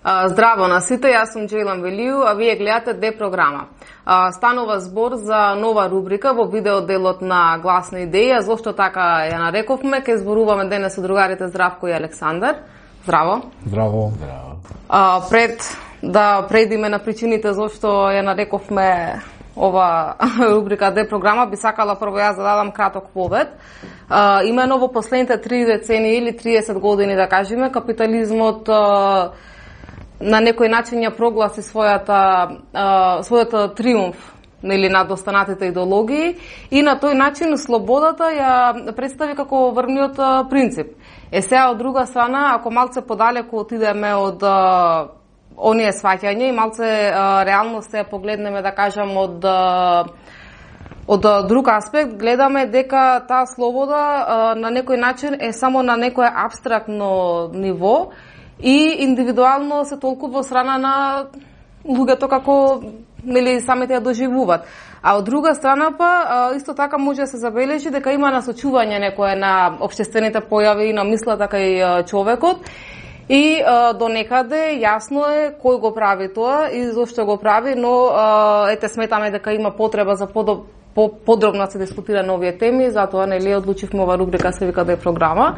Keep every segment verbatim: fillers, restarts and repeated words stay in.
Здраво на сите, јас сум Джейлан Велију, а вие гледате Д програма. Станува збор за нова рубрика во видеоделот на Гласна идеја. Зошто така ја нарековме? Ке зборуваме денес со другарите Здравко и Александар. Здраво. Здраво. А, пред да преидиме на причините зошто ја нарековме ова рубрика Д програма, би сакала прво јас да дадам краток повед. А, имено во последните три децении или триесет години, да кажеме, капитализмот а, на некој начин ја прогласи својата а, својата триумф, нели, над останатите идеологии, и на тој начин слободата ја представи како врвниот принцип. Е сега од друга страна, ако малце подалеку отидеме од а, оние сваќање и малце а, реалност се погледнеме, да кажам, од а, од а, друг аспект, гледаме дека таа слобода а, на некој начин е само на некое абстрактно ниво и индивидуално се толкува во страна на луѓето како, нели, самите ја доживуваат. А од друга страна па исто така може да се забележи дека има насочување некое на општествените појави и на мислата кај човекот. И а, до некаде јасно е кој го прави тоа и зошто го прави, но а, ете сметаме дека има потреба за подоб, по, подробно да се дискутира на овие теми, затоа нели одлучивме ова рубрика се вика Д програма.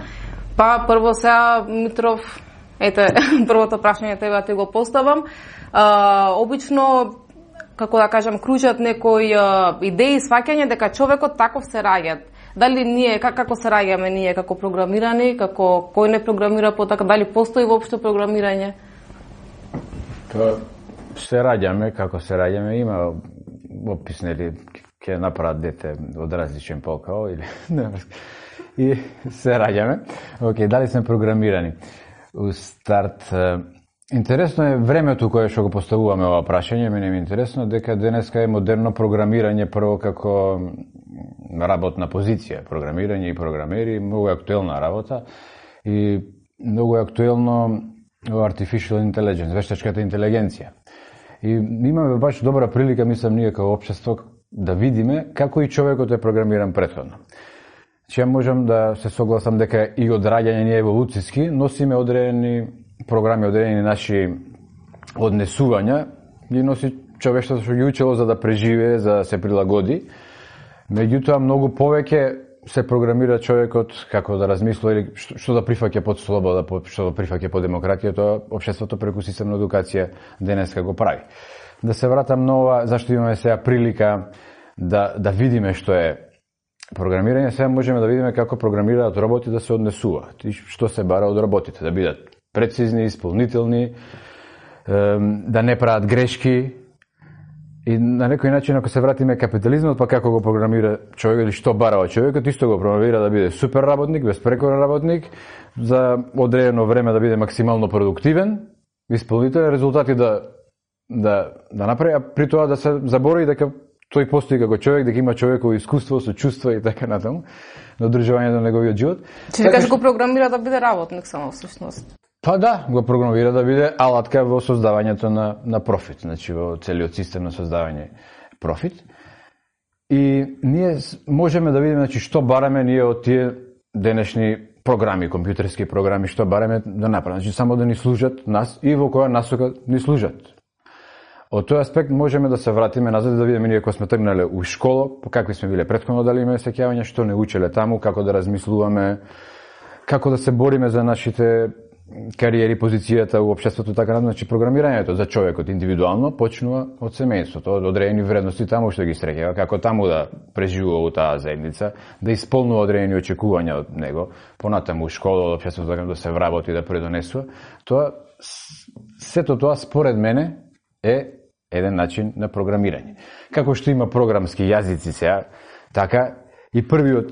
Па прво сега Митров, ете првото прашање тебе ти го поставам. А, обично, како да кажам, кружат некои а, идеи, сваќање дека човекот таков се раѓа. Дали ние, как, како се раѓаме ние како програмирани, како кој не програмира по така, дали постои воопшто програмирање? Па се раѓаме, како се раѓаме, има опис, нели, ќе направат дете од различен пол као или не, и се раѓаме. Океј, дали сме програмирани? У старт, интересно е времето кое што го поставуваме ова прашање, мене ми е интересно дека денеска е модерно програмирање прво како работна позиција, програмирање и програмери, многу актуелна работа и многу актуелно artificial intelligence, вештачката интелигенција. И имаме баш добра прилика, мислам, ние како општество да видиме како и човекот е програмиран претходно. Че можам да се согласам дека и од раѓање ние еволуцијски носиме одредени програми, одредени наши однесувања, ги носи човештвото што ги учело за да преживее, за да се прилагоди. Меѓутоа, многу повеќе се програмира човекот како да размислува или што да прифаќа под слобода, што да прифаќа под демократија, тоа општеството преку системна едукација денеска го прави. Да се вратам на ова, зашто имаме сега прилика да, да видиме што е програмирање, сега можеме да видиме како програмираат роботи да се однесуваат и што се бара од роботите, да бидат прецизни, исполнителни, да не прават грешки. И на некој начин, ако се вратиме капитализмот, па како го програмира човекот или што барава човекот, исто го програмира да биде супер работник, безпрекорен работник, за одредено време да биде максимално продуктивен, исполнителен, резултати да да да направи, а при тоа да се заборави дека тој постои како човек, дека има човеково искуство, со чувства и така натаму на одржување на неговиот живот. Че ви кажеш го програмира да биде работник само всушност. Па да, го програмира да биде алатка во создавањето на, на профит, значи во целиот систем на создавање профит. И ние можеме да видиме, значи, што бараме ние од тие денешни програми, компјутерски програми, што бараме да направиме, значи само да ни служат нас и во која насока ни служат. Од тој аспект можеме да се вратиме назад да видиме ние кога сме тргнале у школа, по какви сме биле претходно, дали имаме сеќавања, што не учеле таму, како да размислуваме, како да се бориме за нашите кариери, позицијата во општеството, така натаму. Значи програмирањето за човекот индивидуално почнува од семејството, од одредени вредности таму што ги среќава, како таму да преживува во таа заедница, да исполнува одредени очекувања од него, понатаму у школа, од општеството, така да се вработи, да предонесува. Тоа сето тоа според мене е еден начин на програмирање. Како што има програмски јазици сега, така и првиот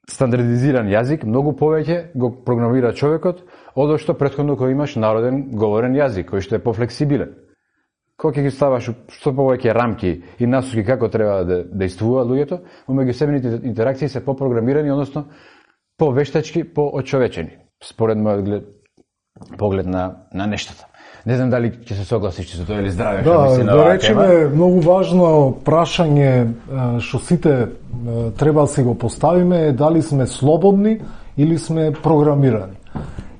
стандардизиран јазик многу повеќе го програмира човекот од што претходно кој имаш народен говорен јазик, кој што е пофлексибилен. Кога ќе ги ставаш што повеќе рамки и насоки како треба да действуваат луѓето, меѓусебните интеракции се попрограмирани, односно повештачки, поочовечени, според мојот поглед на на нештата. Не знам дали ќе се согласиш со тоа или Здраве, да, што мисли на оваа тема. Да, речеме, многу важно прашање што сите треба да си го поставиме е дали сме слободни или сме програмирани.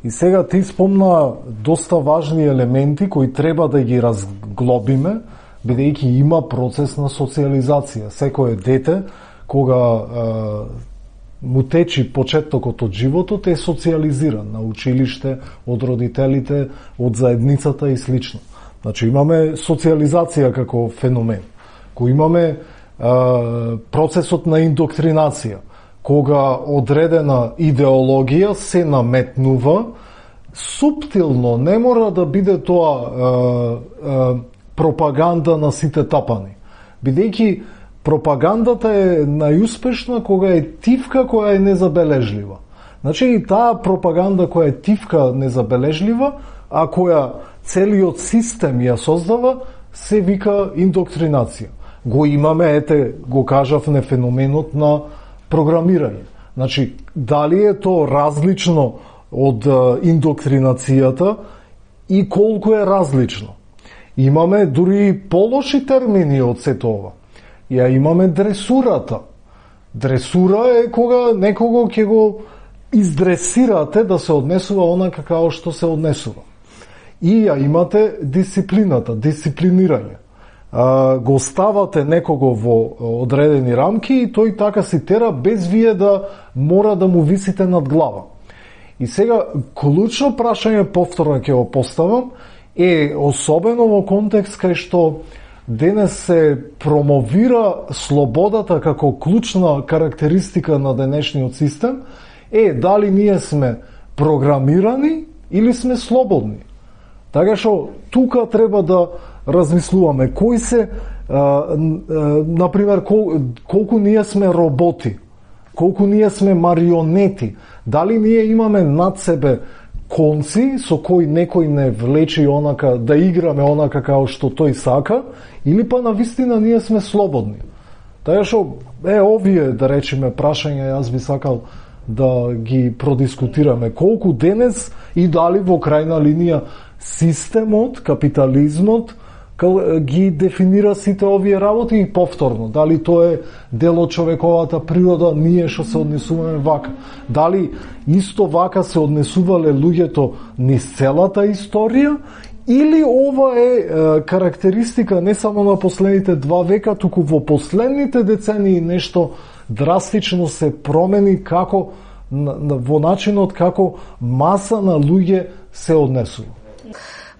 И сега ти спомна доста важни елементи кои треба да ги разглобиме, бидејќи има процес на социализација. Секое дете, кога е, му течи почетокот од животот, е социализиран на училиште, од родителите, од заедницата и слично. Значи имаме социализација како феномен. Кој имаме е, процесот на индоктринација, кога одредена идеологија се наметнува, суптилно, не мора да биде тоа е, е, пропаганда на сите тапани. Бидејќи пропагандата е најуспешна кога е тивка која е незабележлива. Значи и таа пропаганда која е тивка незабележлива, а која целиот систем ја создава, се вика индоктринација. Го имаме, ете, го кажавме феноменот на програмирање. Значи, дали е то различно од индоктринацијата и колку е различно? Имаме дури полоши термини од сето ова. Ја имаме дресурата. Дресура е кога некого ќе го издресирате да се однесува онака како што се однесува. И ја имате дисциплината, дисциплинирање. А, го ставате некого во одредени рамки и тој така си тера без вие да мора да му висите над глава. И сега, клучно прашање повторно ќе го поставам, е особено во контекст кај што денес се промовира слободата како клучна карактеристика на денешниот систем, е дали ние сме програмирани или сме слободни. Така што тука треба да размислуваме кои се, а, а, например, кол, колку ние сме роботи, колку ние сме марионети, дали ние имаме над себе конци со кои некој не влечи онака да играме онака како што тој сака, или па навистина ние сме слободни. Така што е овие, да речеме, прашања јас би сакал да ги продискутираме. Колку денес и дали во крајна линија системот, капитализмот ги дефинира сите овие работи и повторно. Дали тоа е дел од човековата природа, ние што се однесуваме вака. Дали исто вака се однесувале луѓето низ целата историја, или ова е, е карактеристика не само на последните два века, туку во последните децении нешто драстично се промени како во начинот како маса на луѓе се однесува.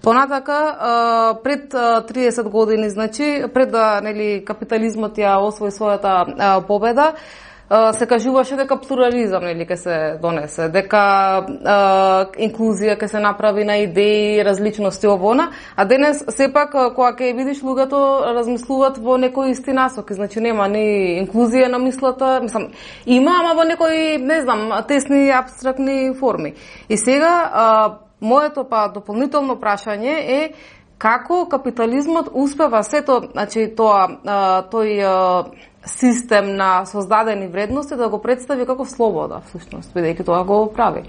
Понатака, пред триесет години, значи, пред да нели капитализмот ја освои својата победа, се кажуваше дека плурализам нели ќе се донесе, дека е, инклузија ќе се направи на идеи, различности овона, а денес сепак кога ќе видиш луѓето размислуваат во некои исти насоки, значи нема ни инклузија на мислата, мислам, има, ама во некои, не знам, тесни апстрактни форми. И сега а, моето па дополнително прашање е како капитализмот успева сето, значи тоа тој систем на создадени вредности да го представи како слобода, всушност, бидејќи тоа го прави.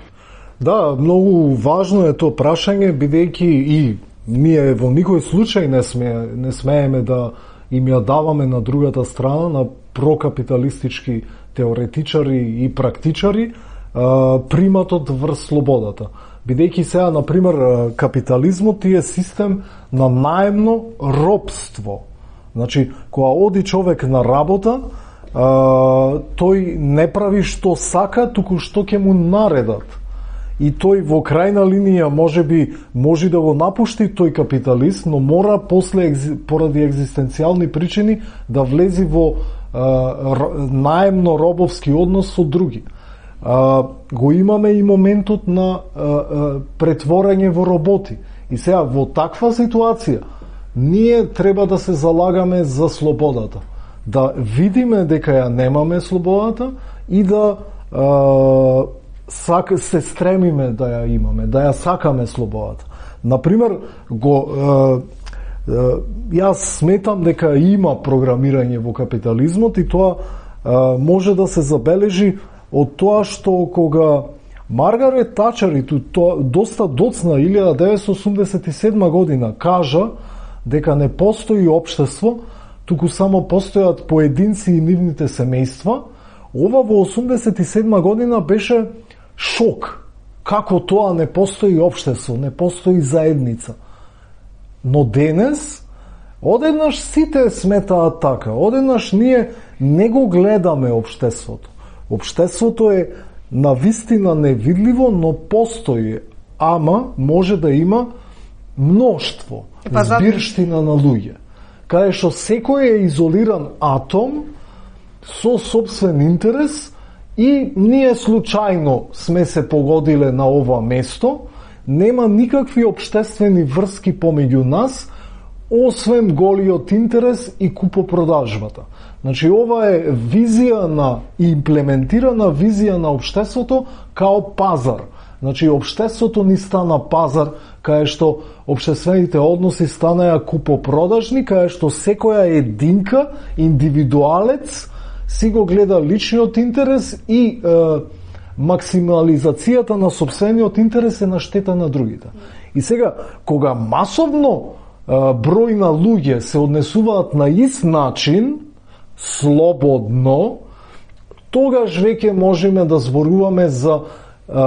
Да, многу важно е тоа прашање, бидејќи и ние во никој случај не сме не смееме да им ја даваме на другата страна, на прокапиталистички теоретичари и практичари, приматот врз слободата. Бидејќи сега, например, капитализмот е систем на наемно робство. Значи, кога оди човек на работа, тој не прави што сака, туку што ќе му наредат. И тој во крајна линија може би може да го напушти тој капиталист, но мора после поради екзистенцијални причини да влези во наемно робовски однос со други. Uh, го имаме и моментот на uh, uh, претворање во роботи. И сега во таква ситуација ние треба да се залагаме за слободата. Да видиме дека ја немаме слободата и да uh, сак, се стремиме да ја имаме, да ја сакаме слободата. Например, го uh, uh, јас сметам дека има програмирање во капитализмот и тоа uh, може да се забележи од тоа што кога Маргарет Тачер и тоа доста доцна илјада деветстотини осумдесет и седма година кажа дека не постои општество, туку само постојат поединци и нивните семејства, ова во осумдесет и седма година беше шок. како тоа не постои општество, не постои заедница. Но денес, одеднаш сите сметаат така, одеднаш ние не го гледаме општеството. Општеството е навистина невидливо, но постои, ама може да има мноштво, збирштина на луѓе, каде што секој е изолиран атом со собствен интерес и ние случајно сме се погодиле на ова место, нема никакви општествени врски помеѓу нас, освен голиот интерес и купопродажбата. Значи, ова е визија на имплементирана визија на општеството као пазар. Значи, општеството ни стана пазар, каде што општествените односи станаја купопродажни, каде што секоја единка, индивидуалец, си го гледа личниот интерес и е, максимализацијата на собствениот интерес е на штета на другите. И сега, кога масовно е, број на луѓе се однесуваат на ист начин, слободно, тогаш веќе можеме да зборуваме за е,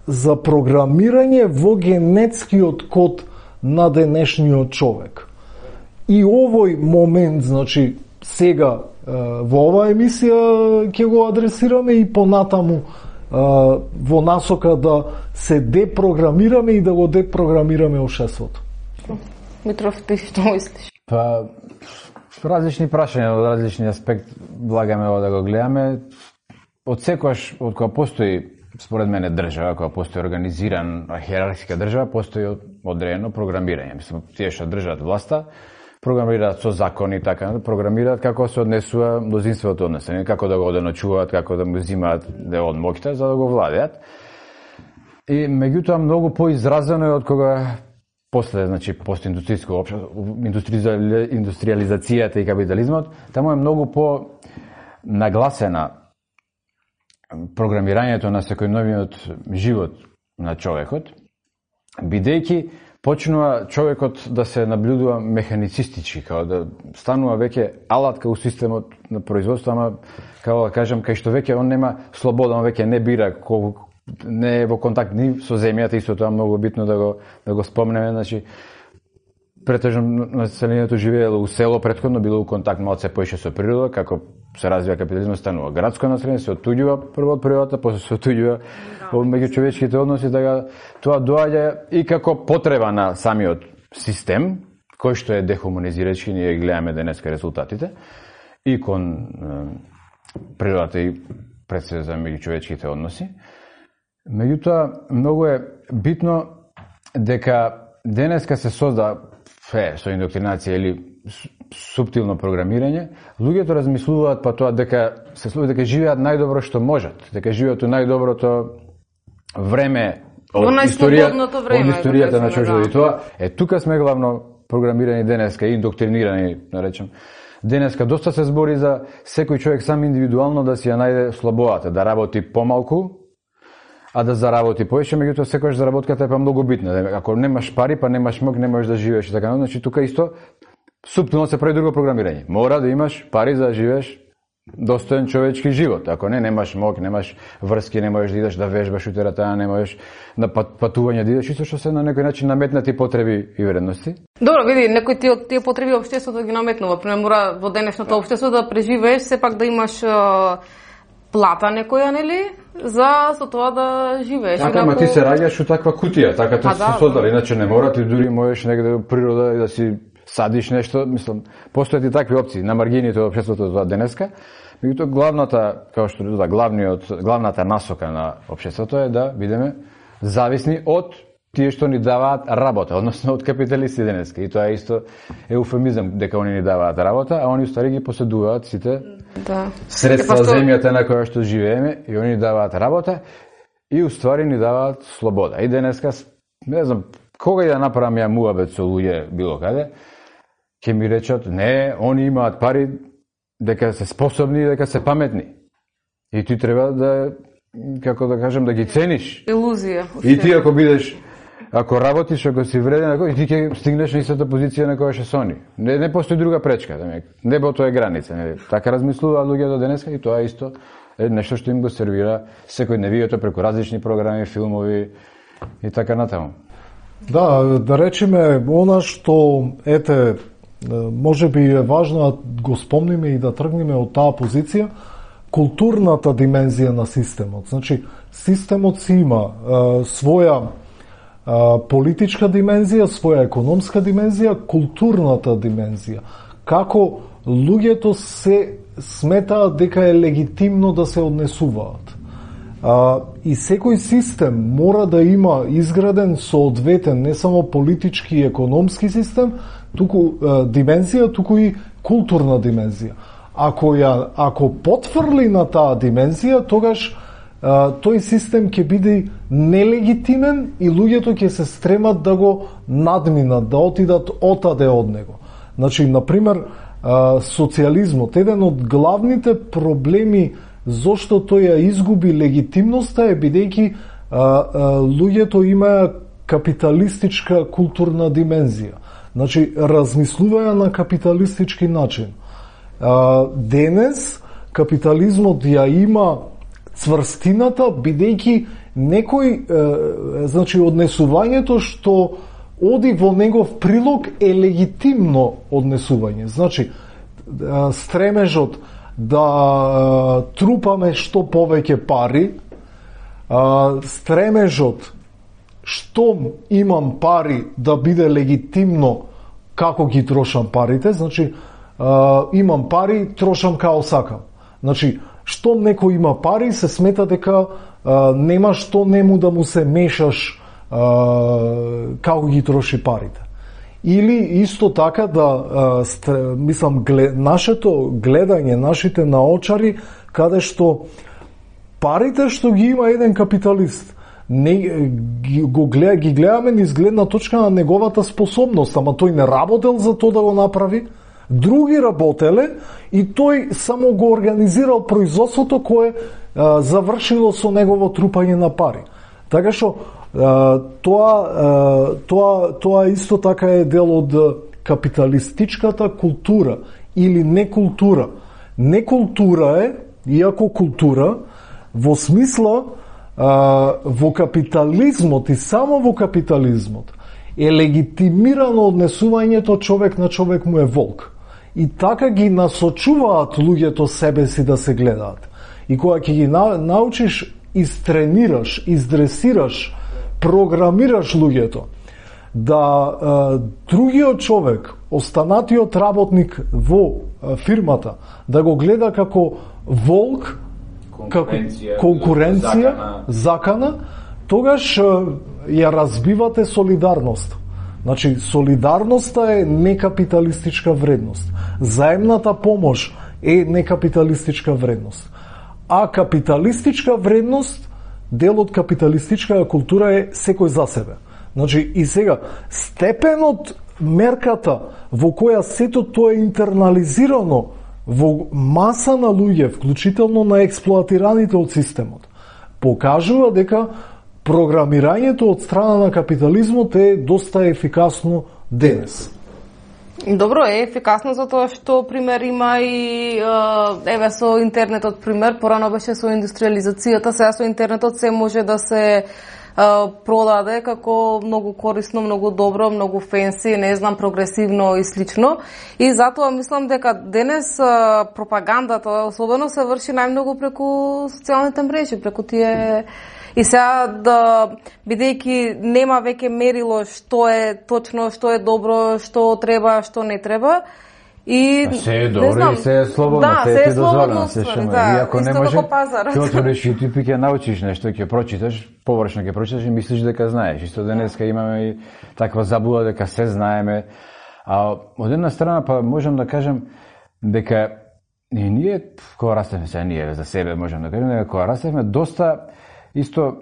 за програмирање во генетскиот код на денешниот човек. И овој момент, значи, сега во оваа емисија ќе го адресираме и понатаму во насока да се депрограмираме и да го депрограмираме општеството. Митров, ти што мислиш? Па, различни прашања од различни аспект влагаме ова да го гледаме. Од секојаш, од кога постои, според мене, држава, кога постои организиран хиерархиска држава, постои одредено програмирање. Мислам, тие што држат власта, програмираат со закони, така, програмираат како се однесува мнозинството од население, како да го оденочуваат, како да му взимаат дел од моќта за да го владеат. И меѓутоа многу поизразено е од кога после, значи, постиндустријско општество, индустриализацијата и капитализмот, таму е многу по нагласена програмирањето на секојдневниот живот на човекот, бидејќи почнува човекот да се наблюдува механицистички, као да станува веќе алатка у системот на производство, ама, како да кажам, кај што веќе он нема слобода, он веќе не бира, колку, не е во контакт ни со земјата, исто тоа многу битно да го, да го спомнеме, значи, претежно населението живеело у село, претходно било у контакт малце поише со природа, како се развива капитализмот, станува градско население, се оттуѓува прво од природата, после се оттуѓува од меѓучовечките односи, така тоа доаѓа и како потреба на самиот систем, кој што е дехуманизирачки, ние гледаме денеска резултатите, и кон е, природата и пред се за меѓучовечките односи. Меѓутоа, многу е битно дека денеска се созда фе, со индоктринација или суптилно програмирање, луѓето размислуваат па тоа дека се слуги дека живеат најдобро што можат, дека живеат у најдоброто време од историјата, време, од историјата на човечеството. И тоа е тука сме главно програмирани денеска и индоктринирани, да речем. Денеска доста се збори за секој човек сам индивидуално да си ја најде слободата, да работи помалку, а да заработи повеќе, меѓутоа секогаш заработката е па многу битна. Ако немаш пари, па немаш мог, не можеш да живееш и така. Значи тука исто суптилно се прави друго програмирање. Мора да имаш пари за да живееш достоен човечки живот. Ако не, немаш мог, немаш врски, не можеш да идеш да вежбаш у тератана, не можеш на патување да идеш, исто што се на некој начин наметнати потреби и вредности. Добро, види, некои ти од тие потреби општеството ги наметнува. Пример, мора во денешното општество да преживееш, сепак да имаш плата некоја, нели, за со тоа да живееш. Така, ма ти се раѓаш у таква кутија, така тоа се создали, иначе не мора, ти дури можеш негде во природа и да си садиш нешто, мислам, постојат и такви опции на маргините од општеството за денеска. Меѓутоа главната, како што да, главниот, главната насока на општеството е да бидеме зависни од тие што ни даваат работа, односно од капиталисти денеска. И тоа е исто еуфемизам дека они ни даваат работа, а они устари ги поседуваат сите да. средства од земјата на која што живееме и они ни даваат работа и уствари ни даваат слобода. И денеска, не знам, кога и да направам ја муабет со луѓе било каде, ќе ми речат, не, они имаат пари, дека се способни и дека се паметни. И ти треба да, како да кажем, да ги цениш. Илузија. И ти ако бидеш, ако работиш, ако си вреден, ако, и ти ќе стигнеш на истата позиција на која што се они. Не, не постои друга пречка. Да небото е граница. Не. Така размислуваат луѓето денеска и тоа исто е нешто што им го сервира секојдневието преку различни програми, филмови и така натаму. Да, да речеме, она што, ете, може би е важно да го спомниме и да тргнеме од таа позиција, културната димензија на системот. Значи, системот си има е, своја е, политичка димензија, своја економска димензија, културната димензија. Како луѓето се сметаат дека е легитимно да се однесуваат. А, и секој систем мора да има изграден соодветен не само политички и економски систем, туку а, димензија, туку и културна димензија. Ако ја ако потврли на таа димензија, тогаш а, тој систем ќе биде нелегитимен и луѓето ќе се стремат да го надминат, да отидат отаде од него. Значи, на пример, социјализмот, еден од главните проблеми зошто тој ја изгуби легитимноста е бидејќи луѓето имаа капиталистичка културна димензија. Значи, размислуваја на капиталистички начин. А, денес капитализмот ја има цврстината бидејќи некој, е, значи, однесувањето што оди во негов прилог е легитимно однесување. Значи, стремежот да трупаме што повеќе пари, стремежот што имам пари да биде легитимно како ги трошам парите, значи имам пари, трошам као сакам. Значи, што некој има пари, се смета дека нема што нему да му се мешаш како ги троши парите. Или исто така да, мислам, нашето гледање, нашите наочари, каде што парите што ги има еден капиталист, не, ги, го гледа, ги гледаме низ гледна точка на неговата способност, ама тој не работел за тоа да го направи, други работеле и тој само го организирал производството кое а, завршило со негово трупање на пари. Така што тоа, тоа, тоа исто така е дел од капиталистичката култура или некултура. Некултура е, иако култура, во смисла во капитализмот и само во капитализмот е легитимирано однесувањето човек на човек му е волк. И така ги насочуваат луѓето себе си да се гледаат. И кога ќе ги научиш, истренираш, издресираш, програмираш луѓето да е, другиот човек, останатиот работник во е, фирмата, да го гледа како волк, конкуренција, како конкуренција, закана. закана, тогаш е, ја разбивате солидарност. Значи, солидарноста е некапиталистичка вредност. Заемната помош е некапиталистичка вредност. А капиталистичка вредност, дел од капиталистичката култура е секој за себе. Значи, и сега, степенот, мерката во која сето тоа е интернализирано во маса на луѓе, вклучително на експлоатираните од системот, покажува дека програмирањето од страна на капитализмот е доста ефикасно денес. Добро, е ефикасно затоа што пример има и еве со интернетот пример, порано беше со индустриализацијата, сега со интернетот се може да се продаде како многу корисно, многу добро, многу фенси, не знам, прогресивно и слично. И затоа мислам дека денес пропагандата особено се врши најмногу преку социјалните мрежи, преку тие. И сега, да, бидејќи нема веќе мерило што е точно, што е добро, што треба, што не треба, и се е добро и се е слободно, да, се, се е е слободно, се шума. да, и ако не исто може, како пазар. ќе отвориш YouTube и ќе научиш нешто, ќе прочиташ, површно ќе прочиташ и мислиш дека знаеш. Исто денеска имаме и таква заблуда дека се знаеме. А од една страна па можам да кажем дека и ние кога растевме, сега ние за себе можам да кажем дека кога растевме доста исто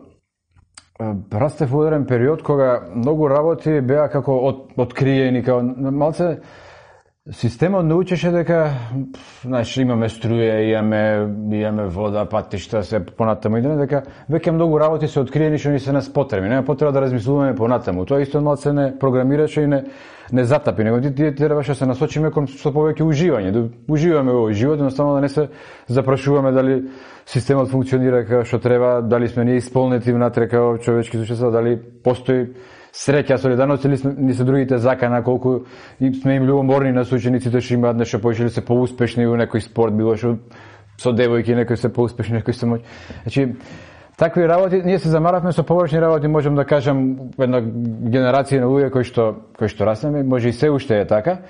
растев во еден период кога многу работи беа како од, откриени, како малце Системот научеше дека, значи, имаме струја, имаме, имаме вода, патишта, се понатаму идеме, дека веќе многу работи се откриени што ни се нас потребни. Нема потреба да размислуваме понатаму. Тоа исто малце не програмираше и не не затапи, него ти требаше да се насочиме кон што повеќе уживање, да уживаме во живот, едноставно да не се запрашуваме дали системот функционира како што треба, дали сме ние исполнети внатре како човечки существа, дали постои среќа, солидарност или ни се другите закана, колку сме им љубоморни на учениците што имаат нешто повеќе или се поуспешни во некој спорт, било што со девојки, некои се поуспешни, некои се моќ. Значи, такви работи, ние се замаравме со површни работи, можам да кажам, една генерација на луѓе кои што кои што раснеме, може и се уште е така.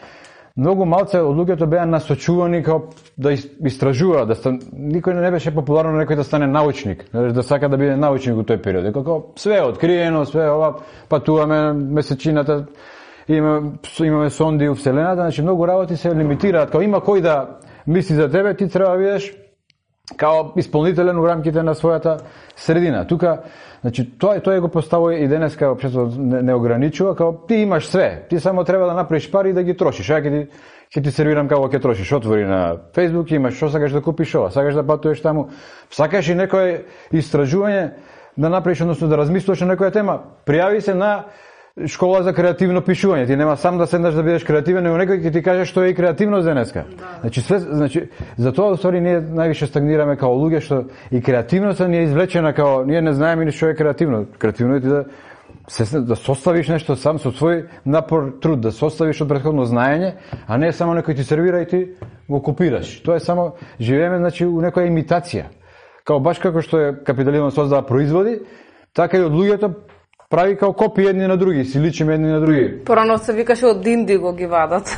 Многу малце од луѓето беа насочувани како да истражуваат, да стан... никој не беше популарно некој да стане научник, да сака да биде научник во тој период. Како све е откриено, све ова, патуваме месечината, имаме, имаме сонди во вселената, значи многу работи се лимитираат, како има кој да мисли за тебе, ти треба да бидеш као исполнителен во рамките на својата средина. Тука, значи, тоа тоа го поставува и денеска општеството не, не ограничува, као ти имаш све, ти само треба да направиш пари и да ги трошиш. Ја ќе ти ќе ти сервирам како ќе трошиш. Отвори на Facebook, имаш што сакаш да купиш ова, сакаш да патуваш таму, сакаш и некое истражување да направиш, односно да размислуваш на некоја тема. Пријави се на школа за креативно пишување. Ти нема сам да седнеш да бидеш креативен, но некој ќе ти каже што е и креативност денеска. Да. Значи све, значи затоа усвари ние највише стагнираме као луѓе што и креативноста ни е извлечена као ние не знаеме ни што е креативно. Креативно е ти да се да составиш нешто сам со свој напор, труд, да составиш од претходно знаење, а не само некој ти сервира и ти го копираш. Тоа е само живееме значи у некоја имитација. Као баш како што е капитализмот создава производи, така и од луѓето прави као копии едни на други, си личиме едни на други. Порано се викаше од Индиго ги вадат.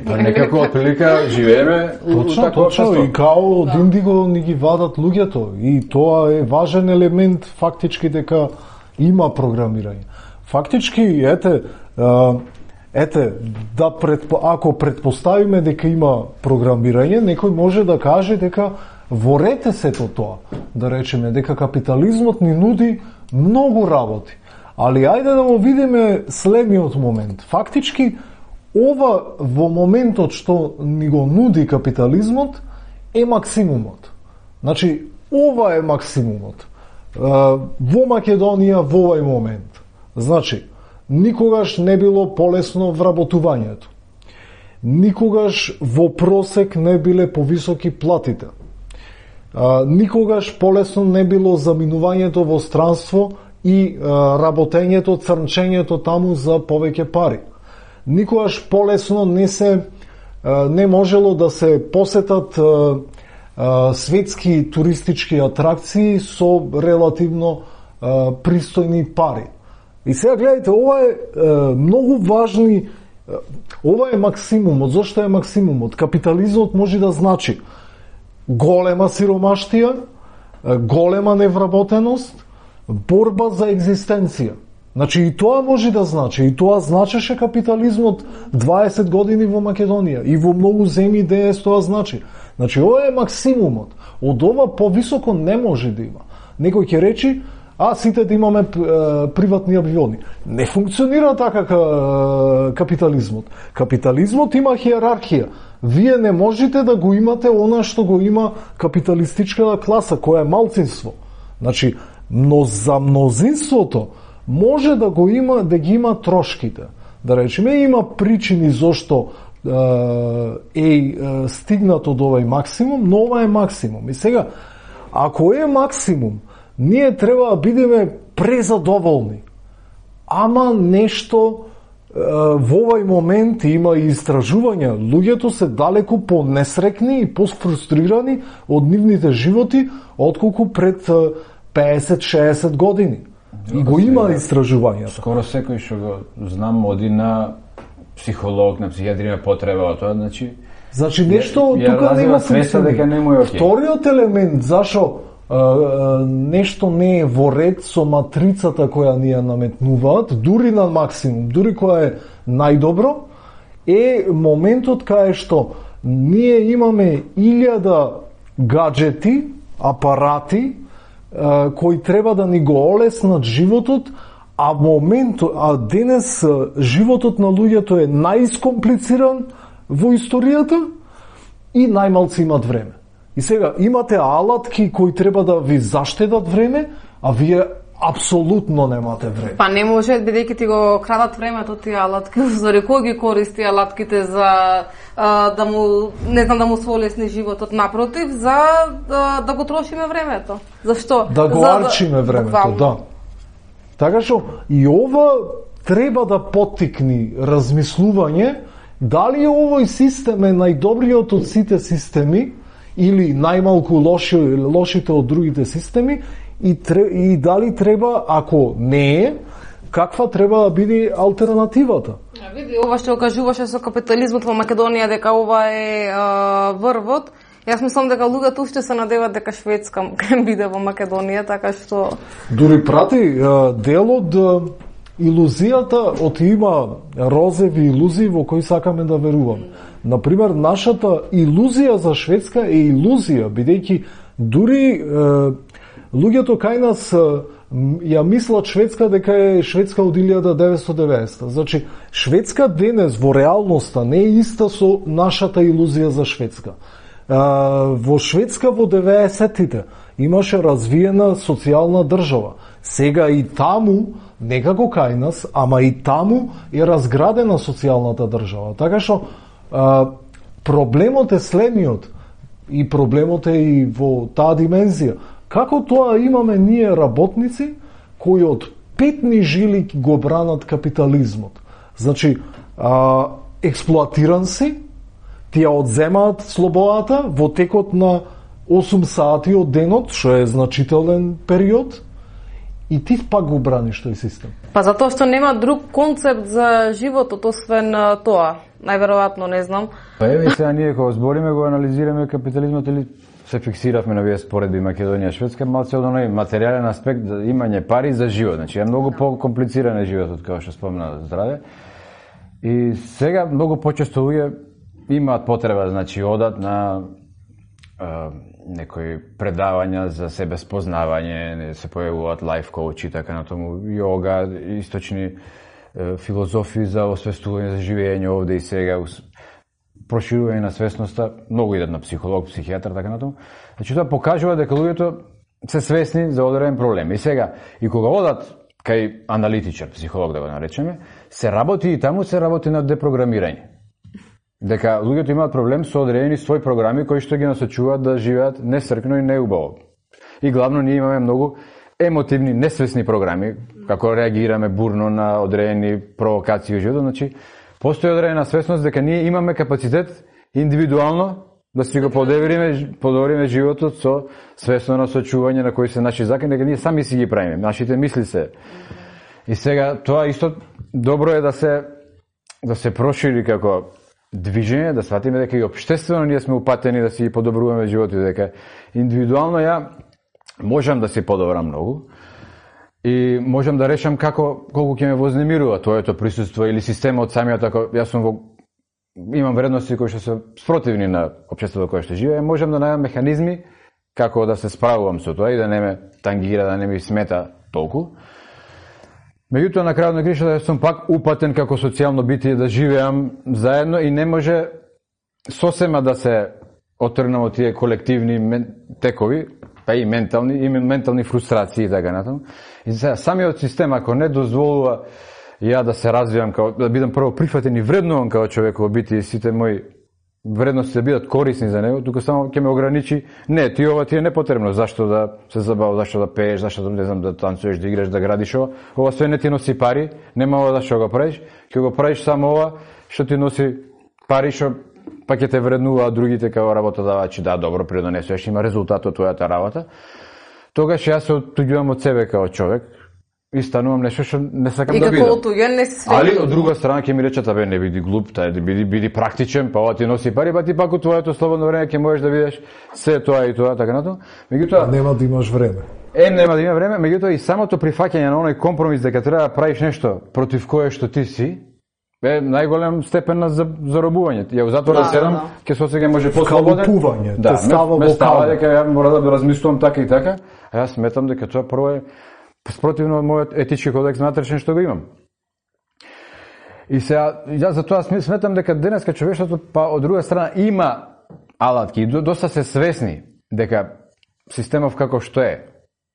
Па некако отприлика живееме точно, точно, и као од Индиго ни ги вадат луѓето. И тоа е важен елемент фактички дека има програмирање. Фактички, ете, ете, да предпо, ако предпоставиме дека има програмирање, некој може да каже дека ворете сето тоа, да речеме дека капитализмот ни нуди многу работи. Али ајде да го видиме следниот момент. Фактички, ова во моментот што ни го нуди капитализмот е максимумот. Значи, ова е максимумот. Во Македонија во овој момент. Значи, никогаш не било полесно вработувањето. Никогаш во просек не биле повисоки платите. Никогаш полесно не било заминувањето во странство и а, работењето, црнчењето таму за повеќе пари. Никогаш полесно не се а, не можело да се посетат а, а, светски туристички атракции со релативно а, пристојни пари. И сега гледайте, ова е а, многу важни, а, ова е максимумот. Зошто е максимумот? Капитализмот може да значи голема сиромаштија, голема невработеност, борба за екзистенција. Значи и тоа може да значи, и тоа значеше капитализмот дваесет години во Македонија и во многу земји де тоа значи. Значи ова е максимумот. Од ова повисоко не може да има. Некој ќе речи, а сите да имаме е, приватни авиони. Не функционира така капитализмот. Капитализмот има хиерархија. Вие не можете да го имате она што го има капиталистичката класа, која е малцинство. Значи, но за мнозинството може да го има, да ги има трошките. Да речеме, има причини зошто е, е стигнато до овој максимум, но ова е максимум. И сега, ако е максимум, ние треба да бидеме презадоволни. Ама нешто во овој момент има и истражувања. Луѓето се далеку понесрекни и пофрустрирани од нивните животи отколку пред песет-шеесет години. И го има истражувањата. Скоро секој што го знам оди на психолог, на психијатри има потреба од тоа, значи Значи нешто тука нема функционира. Вториот елемент зашо нешто не е во ред со матрицата која ни ја наметнуваат, дури на максимум, дури која е најдобро, е моментот кај што ние имаме илјада гаджети, апарати, кои треба да ни го олеснат животот, а моментот, а денес животот на луѓето е најискомплициран во историјата и најмалци имат време. И сега имате алатки кои треба да ви заштедат време, а вие апсолутно немате време. Па не може, бидејќи ти го крадат времето тие алатки, заради кој ги користи алатките за а, да му не знам да му сволесни животот, напротив, за да, да го трошиме времето. Зашто? Да го за, арчиме времето, буквално. Да. Така што и ова треба да поттикни размислување дали овој систем е најдобриот од сите системи или најмалку лоши, лошите од другите системи и, и дали треба, ако не е, каква треба да биде алтернативата? А види, ова што кажуваше со капитализмот во Македонија дека ова е а, врвот. Јас мислам дека луѓето уште се надеват дека Шведска ќе биде во Македонија, така што дури прати дел од илузијата од има розеви илузии во кои сакаме да веруваме. Например, нашата илузија за Шведска е илузија, бидејќи дури е, луѓето кај нас е, ја мислат Шведска дека е Шведска од илјада деветстотини и деветдесета. Значи, Шведска денес во реалноста не е иста со нашата илузија за Шведска. Е, во Шведска во деветдесетите имаше развиена социјална држава. Сега и таму, некако кај нас, ама и таму е разградена социјалната држава. Така што а, проблемот е следниот и проблемот е и во таа димензија. Како тоа имаме ние работници кои од петни жили го бранат капитализмот. Значи, а, експлоатиран си, тие одземаат слободата во текот на осум сати од денот, што е значителен период, и ти пак го браниш тој систем. Па затоа што нема друг концепт за животот освен тоа. Најверојатно, не знам. Па еве сега ние кога збориме го анализираме капитализмот или се фиксиравме на вие споредби Македонија и Шведска, малце од оној материјален аспект за имање пари за живот. Значи е многу покомплициран е животот, како што спомна Здраве. И сега многу почесто луѓе имаат потреба, значи одат на а, некои предавања за себе спознавање, се појавуваат лайф коучи, така на тому, јога, источни е, филозофии за освестување за живење овде и сега, проширување на свесноста, многу идат на психолог, психијатар, така на тому. Значи тоа покажува дека луѓето се свесни за одреден проблем. И сега, и кога одат кај аналитичар, психолог да го наречеме, се работи и таму се работи на депрограмирање. Дека луѓето имаат проблем со одредени своји програми кои што ги насочуваат да живеат несркно и неубаво. И главно ние имаме многу емотивни, несвесни програми, како реагираме бурно на одредени провокации во животот. Значи, постои одредена свесност дека ние имаме капацитет индивидуално да си го подобриме, подобриме животот со свесно насочување на кои се наши закони, дека ние сами си ги правиме, нашите мисли се. И сега тоа исто добро е да се да се прошири како движење, да сватиме дека и општествено ние сме упатени да си подобруваме животот, дека индивидуално ја можам да се подобрам многу и можам да решам како колку ќе ме вознемирува тоето присуство или системот самиот, ако јас сум во имам вредности кои што се спротивни на општеството кое што живее, можам да најдам механизми како да се справувам со тоа и да не ме тангира, да не ми смета толку. Меѓутоа, на крајот на кришата, да сум пак упатен како социјално битие да живеам заедно и не може сосема да се отргнам од тие колективни текови, па и ментални, и ментални фрустрации и така натаму. И сега, самиот систем, ако не дозволува ја да се развивам, као, да бидам прво прифатен и вреднуван како човеково битие и сите мои вредности да бидат корисни за него, тука само ќе ме ограничи, не, ти ова ти е непотребно, зашто да се забаваш, зашто да пееш, зашто да не знам да танцуеш, да играш, да градиш ова, ова све не ти носи пари, нема ова зашто го правиш, ќе го правиш само ова што ти носи пари, што па ќе те вреднуваат другите како работодавачи, да, добро, придонесуваш, има резултат од твојата работа. Тогаш јас се оттуѓувам од себе како човек и станувам нешто што не сакам и да бидам. И како оттуѓен не си среќен. Али од друга страна ќе ми речат, абе не биди глуп, тај биди биди практичен, па ова ти носи пари, па ти пак од твоето слободно време ќе можеш да видиш се тоа и тоа, така натаму. Меѓутоа нема да имаш време. Е, нема да има време, меѓутоа и самото прифаќање на оној компромис дека треба да правиш нешто против кое што ти си, е најголем степен на заробување. Ја затоа да седам, ќе се осеќам може послободен. Калупување, да, те става ме во става дека ја мора да размислувам така и така, а јас сметам дека тоа прво е спротивно од мојот етички кодекс натрешен што го имам. И сега, ја за тоа сметам дека денеска човештвото, па од друга страна, има алатки и доста се свесни дека системов како што е,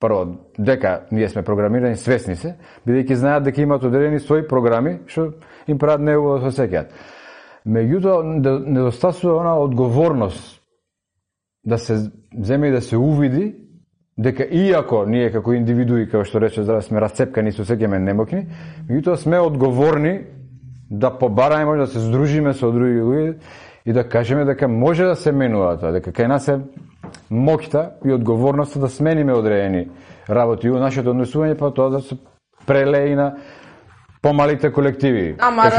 прво, дека ние сме програмирани, свесни се, бидејќи знаат дека имаат одредени своји програми, што им прават неубаво да се сеќаат. Меѓутоа, недостасува она одговорност да се земе и да се увиди дека иако ние како индивидуи, како што рече Здраве, сме расцепкани, се сеќаме немокни, меѓутоа сме одговорни да побараме, може да се здружиме со други луѓе и да кажеме дека може да се менува тоа, дека кај нас е моќта и одговорноста да смениме одредени работи и нашето однесување, па тоа да се прелее на помалите колективи. Ама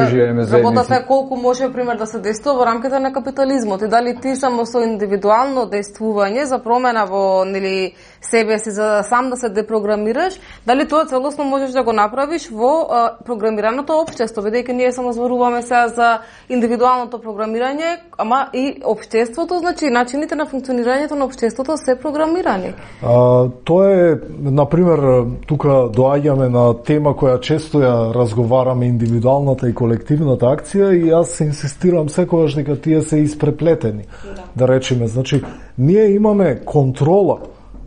работата е колку може, пример, да се действува во рамките на капитализмот и дали ти само со индивидуално действување за промена во, нели, себе си, за да сам да се депрограмираш, дали тоа целосно можеш да го направиш во а, програмираното општество, бидејќи ние само зборуваме сега за индивидуалното програмирање, ама и општеството, значи начините на функционирањето на општеството се програмирани. А, тоа е, например, тука доаѓаме на тема која често ја разговараме, индивидуалната и колективната акција, и јас се инсистирам секогаш дека тие се испреплетени. Да, да речеме, значи ние имаме контрола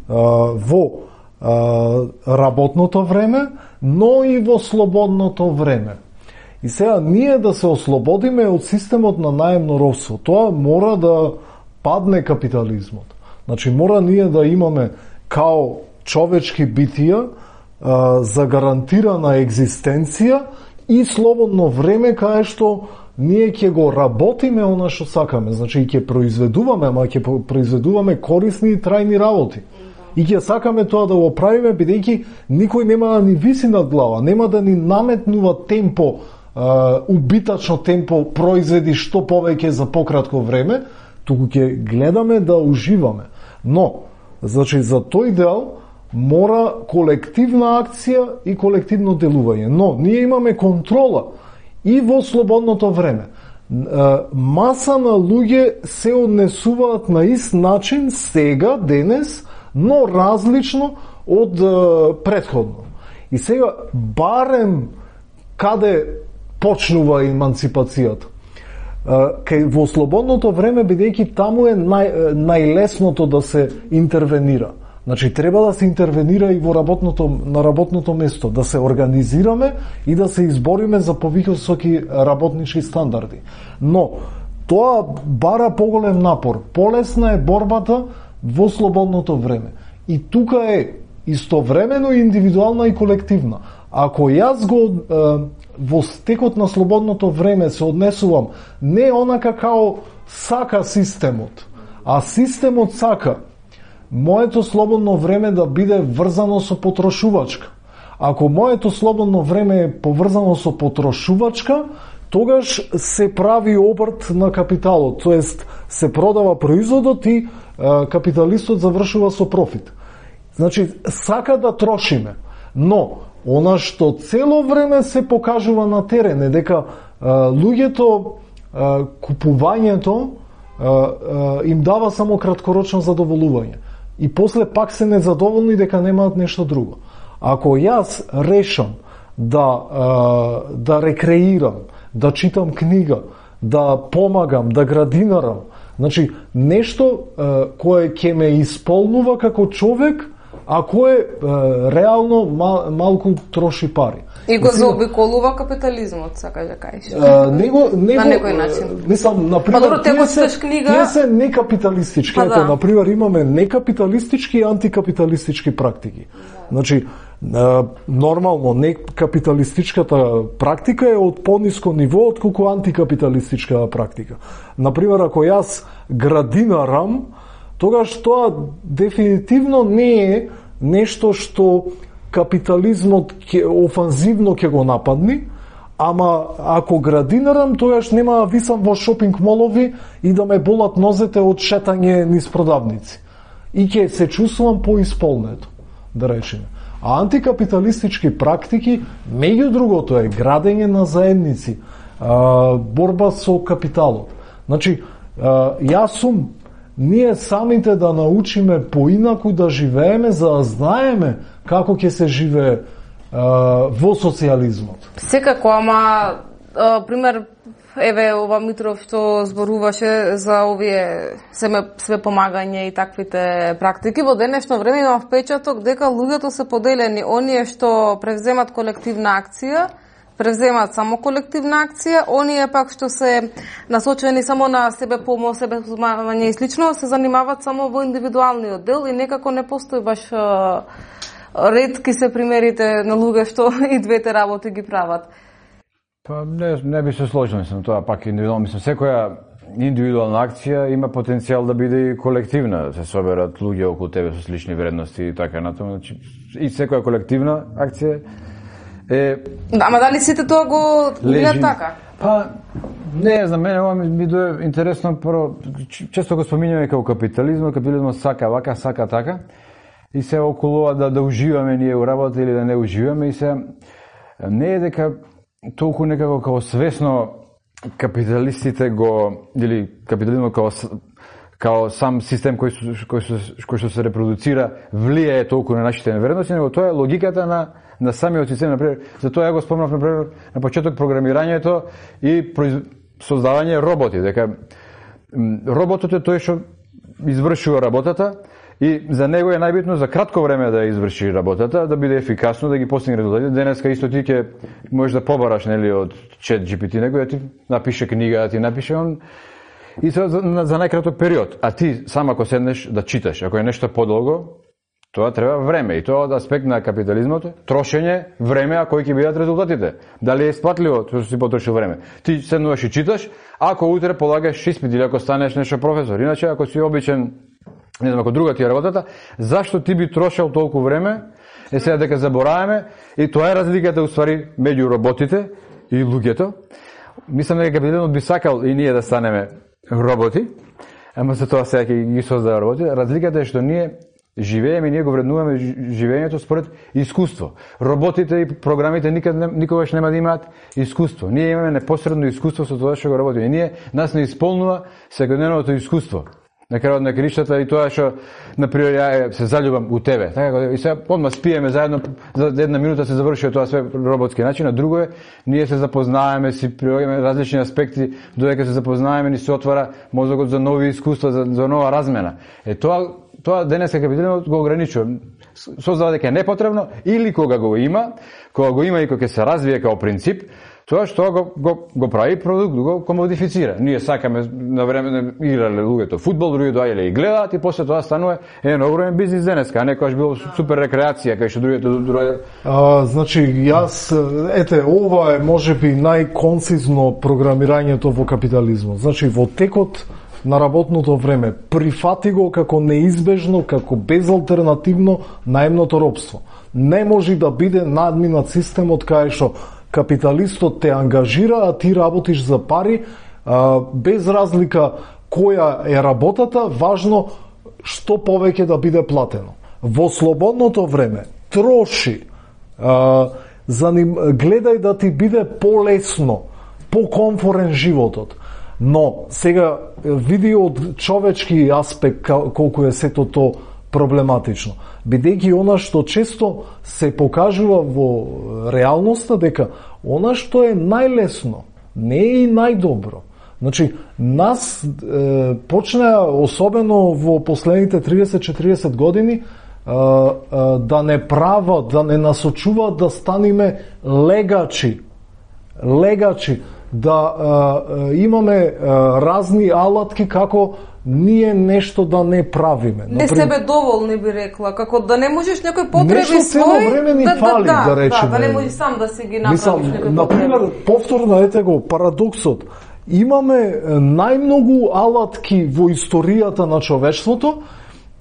а, во а, работното време, но и во слободното време. И сега ние да се ослободиме од системот на наемно робство, тоа мора да падне капитализмот. Значи мора ние да имаме као човечки битија за гарантирана екзистенција и слободно време кај што ние ќе го работиме она што сакаме. Значи ќе произведуваме, ама ќе произведуваме корисни и трајни работи. И ќе сакаме тоа да го правиме, бидејќи никој нема да ни виси над глава, нема да ни наметнува темпо, убитачно темпо произведи што повеќе за пократко време, туку ќе гледаме да уживаме. Но, значи за тој дел мора колективна акција и колективно делување. Но ние имаме контрола и во слободното време. Маса на луѓе се однесуваат на ист начин сега, денес, но различно од претходно. И сега барем каде почнува еманципацијата. Кај во слободното време, бидејќи таму е нај, најлесното да се интервенира. Значи треба да се интервенира и во работното, на работното место, да се организираме и да се избориме за повисоки работнички стандарди. Но тоа бара поголем напор. Полесна е борбата во слободното време. И тука е истовремено индивидуална и колективна. Ако јас го е, во стекот на слободното време се однесувам не онака као сака системот, а системот сака моето слободно време да биде врзано со потрошувачка. Ако моето слободно време е поврзано со потрошувачка, тогаш се прави обрт на капиталот, тоест се продава производот и е, капиталистот завршува со профит. Значи, сака да трошиме, но она што цело време се покажува на терен е дека е, луѓето, е, купувањето е, е, им дава само краткорочно задоволување. И после пак се незадоволни дека немаат нешто друго. Ако јас решам да, е, да рекреирам, да читам книга, да помагам, да градинарам, значи нешто е, кое ќе ме исполнува како човек, а кое е, реално мал, малку троши пари. И го заобиколува капитализмот, сакаш да кажеш. Него, него, на некој начин. Мислам, например, па, добро, тие се, книга... тие се некапиталистички. Па, Ето, да. например, имаме некапиталистички и антикапиталистички практики. Да. Значи, нормално, некапиталистичката практика е од пониско ниво од колку антикапиталистичка практика. Например, ако јас градинарам, тогаш тоа дефинитивно не е нешто што капитализмот ке, офанзивно ќе го нападни, ама ако градинарам, тогаш нема да висам во шопинг молови и да ме болат нозете од шетање низ продавници. И ќе се чувствувам поисполнето, да речеме. А антикапиталистички практики, меѓу другото, е градење на заедници, борба со капиталот. Значи, јас сум ние самите да научиме поинаку да живееме, за да знаеме како ќе се живее а, во социјализмот. Секако, ама а, пример, еве ова Митров што зборуваше за овие семе све помагање и таквите практики, во денешно време има впечаток дека луѓето се поделени, оние што превземат колективна акција, превземат само колективна акција, оние пак што се насочени само на себе помош, себе помагање и слично, се занимават само во индивидуалниот дел и некако не постои баш ретки се примерите на луѓе што и двете работи ги прават. Па не, не би се сложил, мислам, тоа пак индивидуално. Мислам, секоја индивидуална акција има потенцијал да биде и колективна, да се соберат луѓе околу тебе со слични вредности и така натаму. Значи, и секоја колективна акција е... Да, ама дали сите тоа го видат така? Па, не, за мене ова ми, ми дое интересно, прво, често го споминјаме како капитализм, капитализмот сака вака, сака така, и се околу ова да, да уживаме ние у работа или да не уживаме, и се не е дека толку некако како свесно капиталистите го, или капитализмот како, како сам систем кој, кој, кој што се репродуцира влијае толку на нашите вредности, него тоа е логиката на на самиот систем, например, затоа ја го спомнав например на почеток програмирањето и произ... создавање роботи, дека роботот е тој што извршува работата и за него е најбитно за кратко време да изврши работата, да биде ефикасно, да ги постигне резултати. Денеска исто ти ќе можеш да побараш, нели, од Чет Джи Пи Ти, него да ти напише книга, да ти напише он и за, за, за најкраток период. А ти сам ако седнеш да читаш, ако е нешто подолго, тоа треба време и тоа од аспект на капитализмот, трошење време, а кои ќе бидат резултатите. Дали е исплатливо тоа што си потрошил време? Ти седнуваш и читаш, ако утре полагаш испит или ако станеш нешто професор. Иначе ако си обичен, не знам, ако друга ти е работата, зашто ти би трошел толку време? Е сега дека забораваме и тоа е разликата уствари меѓу роботите и луѓето. Мислам дека капитализмот би сакал и ние да станеме роботи, ама за тоа сега ќе ги создава роботи. Разликата е што ние живееме, ние го вреднуваме живењето според искуство. Роботите и програмите никад не, никогаш нема да имаат искуство. Ние имаме непосредно искуство со тоа што го работиме. Ние нас не исполнува секојдневното искуство. На крајот на краиштата и тоа што например ја се заљубам у тебе. Така и сега одма спиеме заедно, за една минута се завршува тоа све роботски начин, а друго е ние се запознаваме, си прилагаме различни аспекти, додека се запознаваме ни се отвара мозокот за нови искуства, за, за нова размена. Е тоа тоа денеска капитализмот го ограничува. Создава дека е непотребно или кога го има, кога го има и кога ќе се развие како принцип, тоа што го, го, го прави продукт, го комодифицира. Ние сакаме на време на играле луѓето фудбал, други доаѓале и гледаат и после тоа станува еден огромен бизнис денеска, а не којаш било супер рекреација, кај што другите доаѓале. А, значи, јас, ете, ова е можеби најконцизно програмирањето во капитализмот. Значи, во текот на работното време, прифати го како неизбежно, како безалтернативно наемното робство. Не може да биде надминат системот кај што капиталистот те ангажира, а ти работиш за пари, а, без разлика која е работата, важно што повеќе да биде платено. Во слободното време троши, а, за ним, гледај да ти биде полесно, покомфорен животот. Но сега види од човечки аспект колку е сето то проблематично. Бидејќи она што често се покажува во реалноста дека она што е најлесно не е и најдобро. Значи, нас е, почнаа, особено во последните триесет-четириесет години, е, е, да не прават, да не насочуваат да станиме легачи. Легачи. Да е, имаме е, разни алатки како ние нешто да не правиме. Не себе доволни би рекла, како да не можеш некој потреби нешто свој, време ни да, фали, да, да речеме. Да, да не можеш сам да си ги направиш Мислам, некој например, потреби. повторно ете го парадоксот. Имаме најмногу алатки во историјата на човештвото,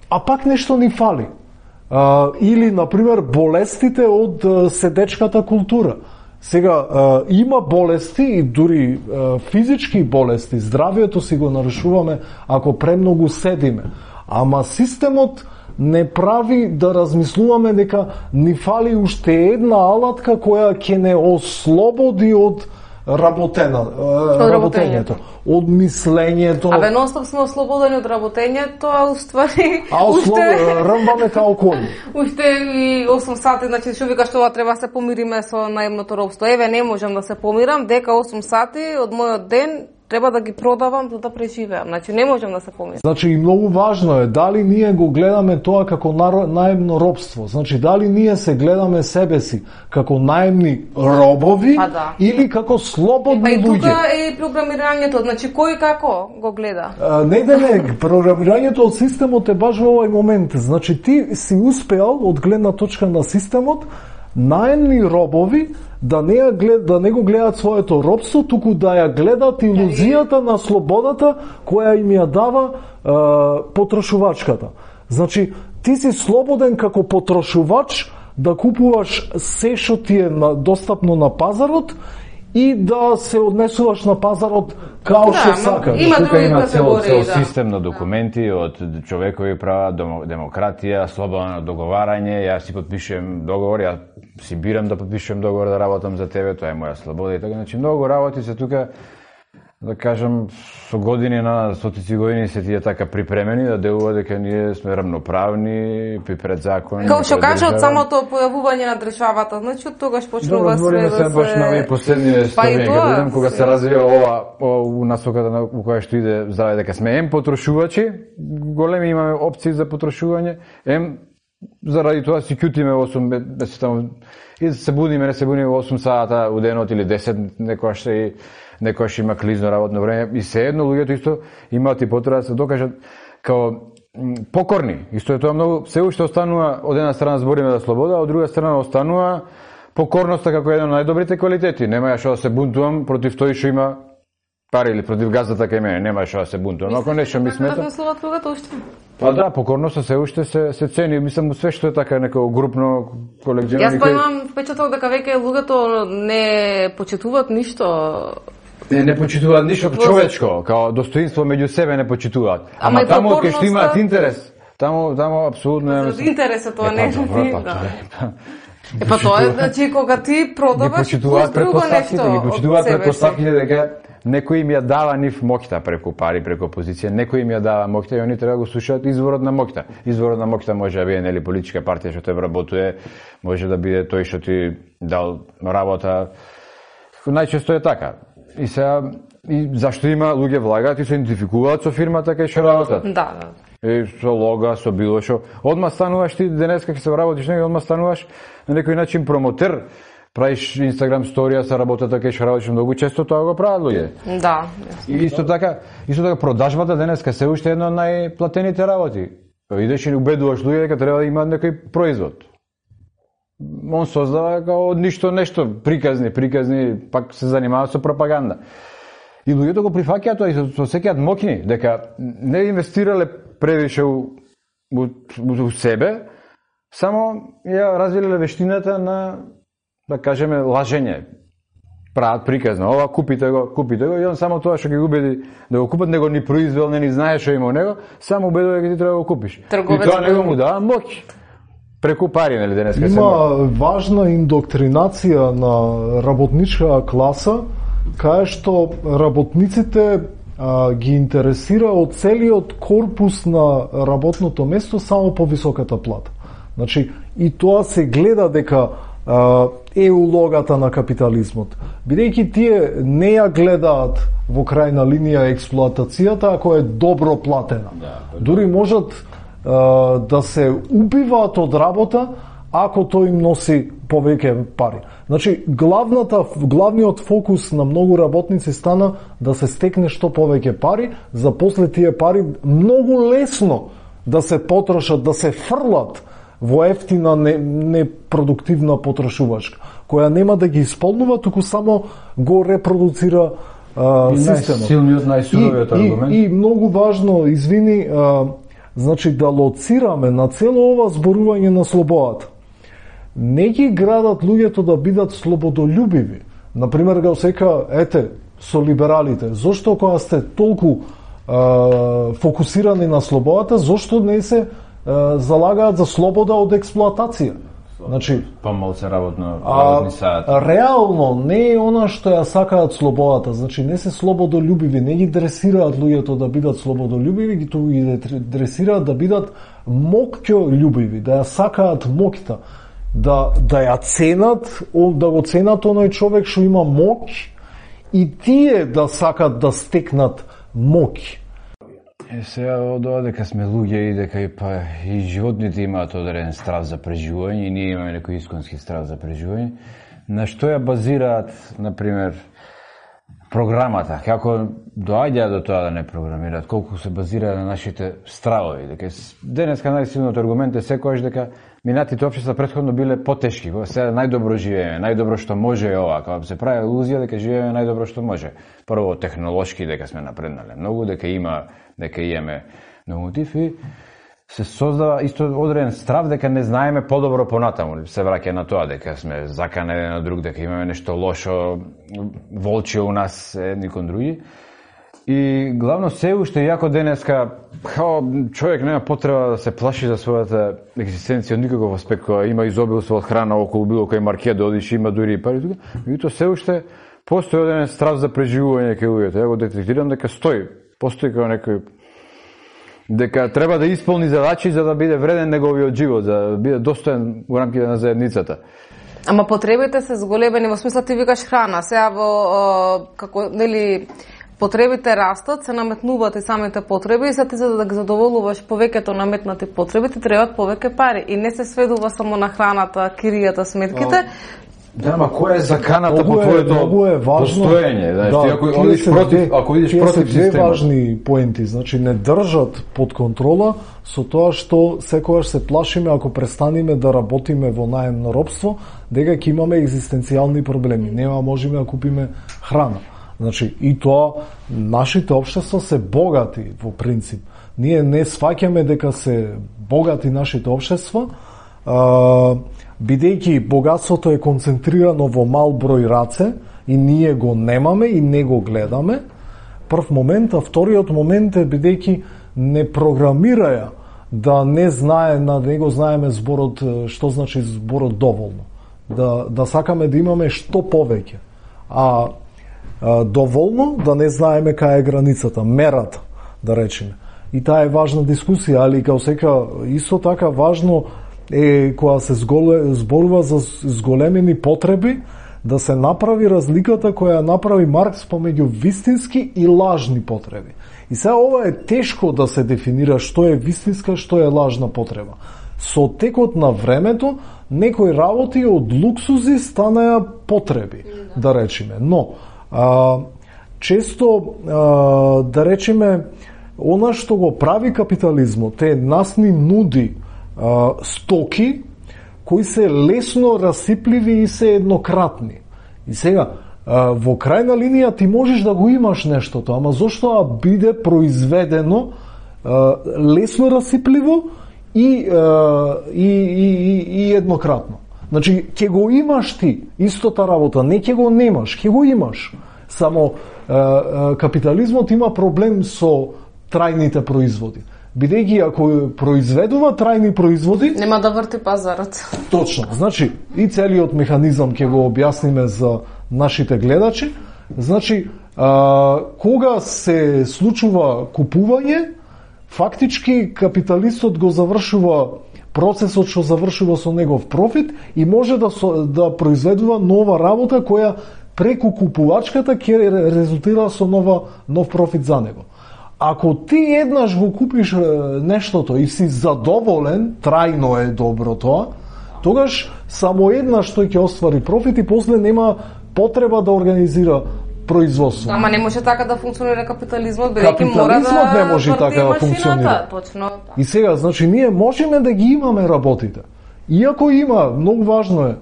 а пак нешто ни фали. А, или, например, болестите од седечката култура. Сега, а, има болести и дури а, физички болести, здравието си го нарушуваме ако премногу седиме. Ама системот не прави да размислуваме дека ни фали уште една алатка која ќе не ослободи од работена, работењето, од мислењето. Абе, нонстоп сме ослободени од работењето, а уствари а уште рмбаме као коли. Уште и осум сати, значи што вика што ова треба се помириме со наемното робство. Еве, не можам да се помирам, дека осум сати од мојот ден треба да ги продавам за да преживеам. Значи не можам да се помирам. Значи и многу важно е дали ние го гледаме тоа како наемно робство. Значи дали ние се гледаме себе си како наемни робови па, да. Или како слободни луѓе. Па и тука е програмирањето, значи кој како го гледа? А, не да не, програмирањето од системот е баш во овој момент. Значи ти си успеал од гледна точка на системот наемни робови да не, ја глед, да не го гледат своето робство, туку да ја гледат илузијата на слободата која им ја дава е, потрошувачката. Значи, ти си слободен како потрошувач да купуваш се што ти е на, достапно на пазарот и да се однесуваш на пазарот као да, што сакаш. Има тука има цел, цел да. систем на документи од човекови права, демократија, слободно договарање. Јас си подпишувам договор, ја си бирам да подпишувам договор да работам за тебе, тоа е моја слобода и така. Значи многу работи се тука, да кажам, со години на стотици години се тие така припремени да делува дека ние сме рамноправни пред закони. Како што кажа од самото појавување на државата, значи од тогаш почнува све да се... Добро, баш на последниве стомени, кога видам кога се развива ова, ова у насоката на у која што иде здраве, дека сме ем потрошувачи, големи имаме опции за потрошување, ем заради тоа си кјутиме осум, се таму, и се будиме, не се будиме осум сата у денот или десет, некојаш и некојаш има клизно работно време, и се едно луѓето исто имаат и потреба да се докажат као покорни. Исто е тоа многу, се уште останува, од една страна збориме за слобода, а од друга страна останува покорноста како еден од најдобрите квалитети. Нема ја што да се бунтувам против тој што има пари или против газата кај мене, нема што да се бунтувам. Ако нешто ми смета. Па да, покорноста се уште се се цени, мислам све што е така некој групно колективно. Јас па имам впечаток дека веќе луѓето не почитуваат ништо. Не, не почитуваат ништо човечко, као достоинство меѓу себе не почитуваат. Ама, Ама таму кај што имаат интерес, таму таму апсолутно е. За интересот тоа не е. Па Е па тоа е значи кога ти продаваш почитуваат предпоставките, ги почитуваат предпоставките дека некој им ја дава нив моќта преку пари, преку позиција, некој им ја дава моќта и они треба да го слушаат изворот на моќта. Изворот на моќта може да биде нели политичка партија што те вработува, може да биде тој што ти дал работа. Најчесто е така. И сега и зашто има луѓе влагаат и се идентификуваат со фирмата кај што работат. Да, да. И со лога, со било што. Одма стануваш ти денеска ќе се вработиш негде, одма стануваш на некој начин промотер. Правиш Инстаграм сторија со работата кај што работиш, многу често тоа го прават луѓе. Да. И исто така, исто така продажбата денеска се уште една од најплатените работи. Идеш и убедуваш луѓе дека треба да имаат некој производ. Он создава као од ништо нешто, приказни, приказни, пак се занимава со пропаганда. И луѓето го прифаќаат тоа и се осеќаат моќни, дека не инвестирале превише у, у, у себе, само ја развиле вештината на, да кажеме, лажење. Прават приказно, ова купите го, купите го, и он само тоа што ги убеди да го купат, него ни произвел, не ни знае што има у него, само убедува дека ти треба да го купиш. Трговец, и тоа него му дава моќ. Преку пари, нели, денеска се има важна индоктринација на работничка класа, кај што работниците а, ги интересира од целиот корпус на работното место само по високата плата. Значи, и тоа се гледа дека а, е улогата на капитализмот. Бидејќи тие не ја гледаат во крајна линија експлоатацијата ако е добро платена. Да, дури можат а, да се убиваат од работа ако тој им носи повеќе пари. Значи, главната, главниот фокус на многу работници стана да се стекне што повеќе пари, за после тие пари многу лесно да се потрошат, да се фрлат во ефтина непродуктивна не потрошувачка, која нема да ги исполнува, туку само го репродуцира а, системот. Најсилниот, најсуровиот аргумент. И, и многу важно, извини, а, значи да лоцираме на цело ова зборување на слободата. Не ги градат луѓето да бидат слободолюбиви. Например, го сека, ете, со либералите. Зошто кога сте толку а, фокусирани на слободата, зошто не се а, залагаат за слобода од експлоатација? Значи, помал се работно, работни сати. Реално не е она што ја сакаат слободата, значи не се слободолюбиви, не ги дресираат луѓето да бидат слободолюбиви, ги туку ги дресираат да бидат моќолюбиви, да ја сакаат моќта, да да ја ценат, да го ценат оној човек што има моќ и тие да сакат да стекнат моќ. Е, сега од ова дека сме луѓе и дека и, па, и животните имаат одреден страв за преживување и ние имаме некој исконски страв за преживување, на што ја базираат, например, програмата, како доаѓа до тоа да не програмираат, колку се базира на нашите стравови, дека денеска најсилниот аргумент е секогаш дека минатите општества претходно биле потешки, сега најдобро живееме, најдобро што може е ова, кога се прави илузија дека живееме најдобро што може. Прво технолошки дека сме напреднале многу, дека има дека имаме многу мотив и се создава исто одреден страв дека не знаеме подобро понатаму. Се враќа на тоа дека сме заканени еден на друг, дека имаме нешто лошо, волче у нас едни кон други. И главно се уште јако денеска као човек нема потреба да се плаши за својата екзистенција од никаков аспект, која има изобилство од храна околу било кој маркет да одиш, има дури и пари тука. Меѓутоа се уште постои одреден страв за преживување кај луѓето. Ја го детектирам дека стои, постои како некој дека треба да исполни задачи за да биде вреден неговиот живот, за да биде достоен во рамките на заедницата. Ама потребите се зголемени, во смисла ти викаш храна, сега во како нели потребите растат, се наметнуваат и самите потреби и се ти за да ги задоволуваш повеќето наметнати потреби, ти требаат повеќе пари и не се сведува само на храната, киријата, сметките. Да, ма која е заканата по твоето постоење? Знаеш, да, ти ако одиш против, ако идеш против системот. Две важни поенти, значи не држат под контрола со тоа што секогаш се плашиме ако престанеме да работиме во наемно робство, дека ќе имаме екзистенцијални проблеми. Нема можеме да купиме храна. Значи и тоа нашите општества се богати во принцип. Ние не сваќаме дека се богати нашите општества, а, бидејќи богатството е концентрирано во мал број раце и ние го немаме и не го гледаме, прв момент, а вториот момент е бидејќи не програмираја да не знае, на не го знаеме зборот, што значи зборот доволно. Да, да сакаме да имаме што повеќе. А, а доволно да не знаеме кај е границата, мерата, да речеме. И таа е важна дискусија, али као сека исто така важно е кога се зголе, зборува за зголемени потреби, да се направи разликата која направи Маркс помеѓу вистински и лажни потреби. И сега ова е тешко да се дефинира што е вистинска, што е лажна потреба. Со текот на времето, некои работи од луксузи станаја потреби, да речеме. Но, а, често, а, да речеме, она што го прави капитализмот е нас ни нуди а, стоки кои се лесно расипливи и се еднократни. И сега, а, во крајна линија ти можеш да го имаш нештото, ама зошто биде произведено а, лесно расипливо и, а, и, и, и, и еднократно. Значи, ќе го имаш ти, истота работа, не ќе го немаш, ќе го имаш. Само а, а, капитализмот има проблем со трајните производи. Бидејќи ако произведува трајни производи, нема да врти пазарот. Точно. Значи, и целиот механизам ќе го објасниме за нашите гледачи. Значи, а, кога се случува купување, фактички капиталистот го завршува процесот што завршува со негов профит и може да, со, да произведува нова работа која преку купувачката ќе резултира со нова, нов профит за него. Ако ти еднаш го купиш нештото и си задоволен, трајно е добро тоа, тогаш само еднаш тој ќе оствари профит и после нема потреба да организира производство. Ама не може така да функционира капитализмот, бидејќи мора да Капитализмот не може така да функционира. Точно. И сега, значи, ние можеме да ги имаме работите. Иако има, многу важно е,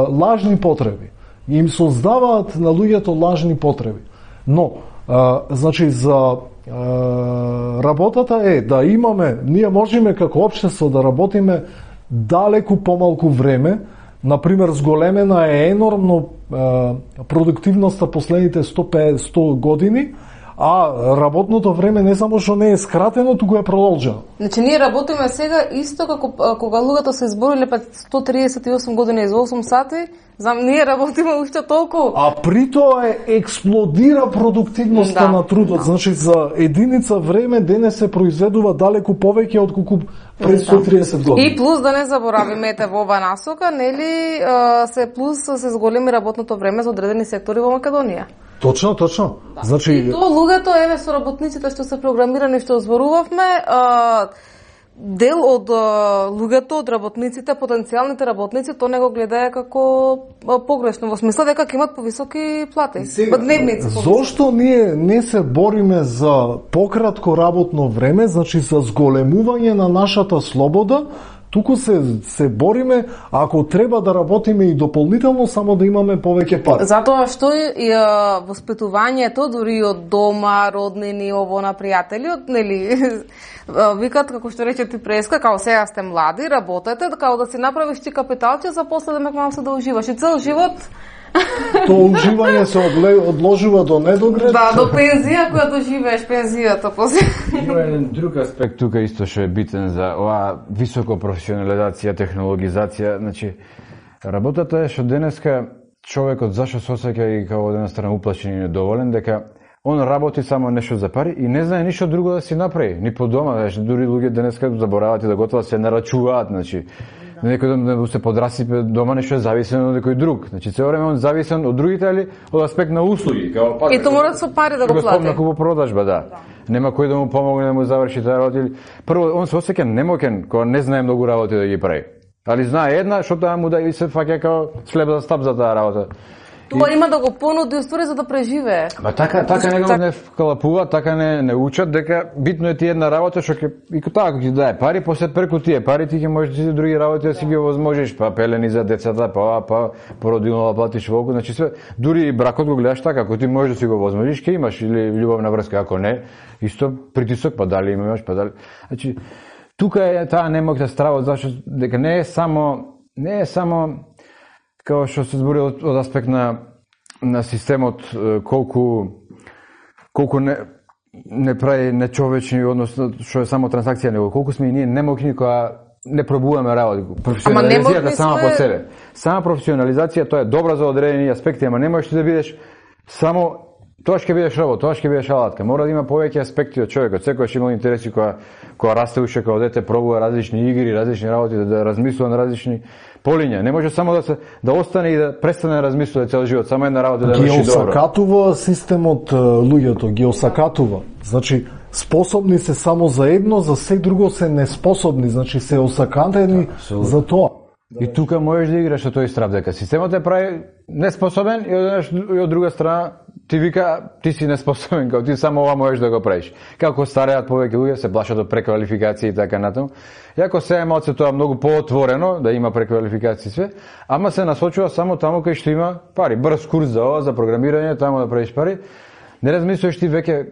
лажни потреби. Им создаваат на луѓето лажни потреби. Но, значи, за работата е да имаме, ние можеме како општество да работиме далеку помалку време. Например, зголемена е енормно е, продуктивноста последните сто години, а работното време не само што не е скратено, туку е продолжено. Значи ние работиме сега исто како кога луѓето се избориле пред сто триесет и осум години за осум сати, знам, ние работиме уште толку. А при тоа е експлодира продуктивноста да, на трудот. Да. Значи за единица време денес се произведува далеку повеќе отколку пред сто триесет години. И плюс да не заборавиме ете во ова насока, нели се плюс се зголеми работното време за одредени сектори во Македонија. Точно, точно. Да. Значи и тоа луѓето, еве со работниците што се програмирани, што зборувавме, а, дел од а, луѓето, од работниците, потенцијалните работници, тоа не го гледае како а, погрешно, во смисла дека ќе имат повисоки плати, сега, дневници. Зошто ние не се бориме за пократко работно време, значи за зголемување на нашата слобода, туку се се бориме ако треба да работиме и дополнително само да имаме повеќе пари. Затоа што и а, воспитувањето дури од дома, роднини, ово на пријатели, од нели викат како што рече ти преска, као сега сте млади, работете, као да си направиш ти капиталче за после да ме малку се да уживаш и цел живот. Тоа уживање се одложува до недогред. Да, до пензија, која доживееш пензијата после. Има еден друг аспект тука исто што е битен за оваа високо професионализација, технологизација. Значи, работата е што денеска човекот зашо се осеќа и како од една страна уплашен и недоволен, дека он работи само нешто за пари и не знае ништо друго да си направи, ни по дома, значи дури луѓе денеска забораваат и да готват, се нарачуваат, значи некој да се подрасипе дома, нешто е зависено од некој друг. Значи цело време он зависен од другите или од аспект на услуги, као па. И тоа мора со пари да го плати. Господна купопродажба, да. да. Нема кој да му помогне да му заврши таа работа. Прво он се осеќа немоќен кога не знае многу работи да ги прави. Али знае една, што таа му да и се фаќа као слеп за стап за таа работа. Тоа има да го понуди уствари за да преживее. Ма така така не го не вкалапува, така не не учат дека битно е ти една работа што ќе и така ќе дае пари, после преку тие пари ти ќе можеш да си други работи да си ги овозможиш, па пелени за децата, па па породилно да платиш волку, значи све дури и бракот го гледаш така, ако ти можеш да си го овозможиш, ќе имаш или љубовна врска, ако не, исто притисок, па дали имаш, па дали. Значи тука е таа немоќна страва зашто дека не е само не е само како што се збори од, од аспект на на системот колку колку не не прави нечовечни, односно што е само трансакција, него колку сме и ние немоќни кога не пробуваме работи. Професионализацијата сама сме... по себе. Сама професионализација тоа е добра за одредени аспекти, ама не можеш да бидеш само тоа ќе бидеш робот, тоа ќе бидеш алатка. Мора да има повеќе аспекти од човекот. Секојаш има интереси кога кога расте уште кога дете, пробува различни игри, различни работи, да, да размислува на различни полиња. Не може само да се да остане и да престане да размислува цел живот, само една работа да врши добро. Ги осакатува системот луѓето, ги осакатува. Значи способни се само за едно, за се друго се неспособни, значи се осакатени да, за тоа. И тука можеш да играш со тој страв дека системот е прави неспособен и од, и од друга страна ти вика ти си неспособен, као ти само ова можеш да го правиш. Како стареат повеќе луѓе се плашат од преквалификација и така натаму. Иако се е малце тоа многу поотворено да има преквалификација све, ама се насочува само таму кај што има пари. Брз курс за ова, за програмирање, таму да правиш пари. Не размислуваш ти веќе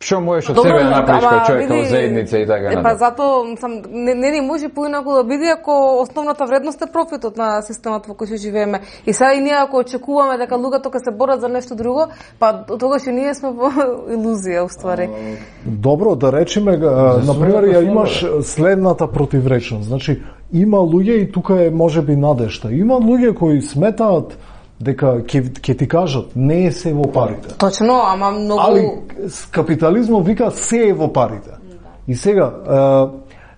што можеш од себе да направиш како човек, како заедница и така натаму. Па затоа сам не не ни може поинаку да биде ако основната вредност е профитот на системот во кој што живееме. И сега и ние ако очекуваме дека луѓето ќе се борат за нешто друго, па тогаш и ние сме во илузија уствари. Добро, да речеме, на пример ја имаш следната противречност. Значи има луѓе и тука е можеби надежта. Има луѓе кои сметаат дека ќе ќе ти кажат не е се во парите. Точно, ама многу Али капитализмот вика се е во парите. Да. И сега е,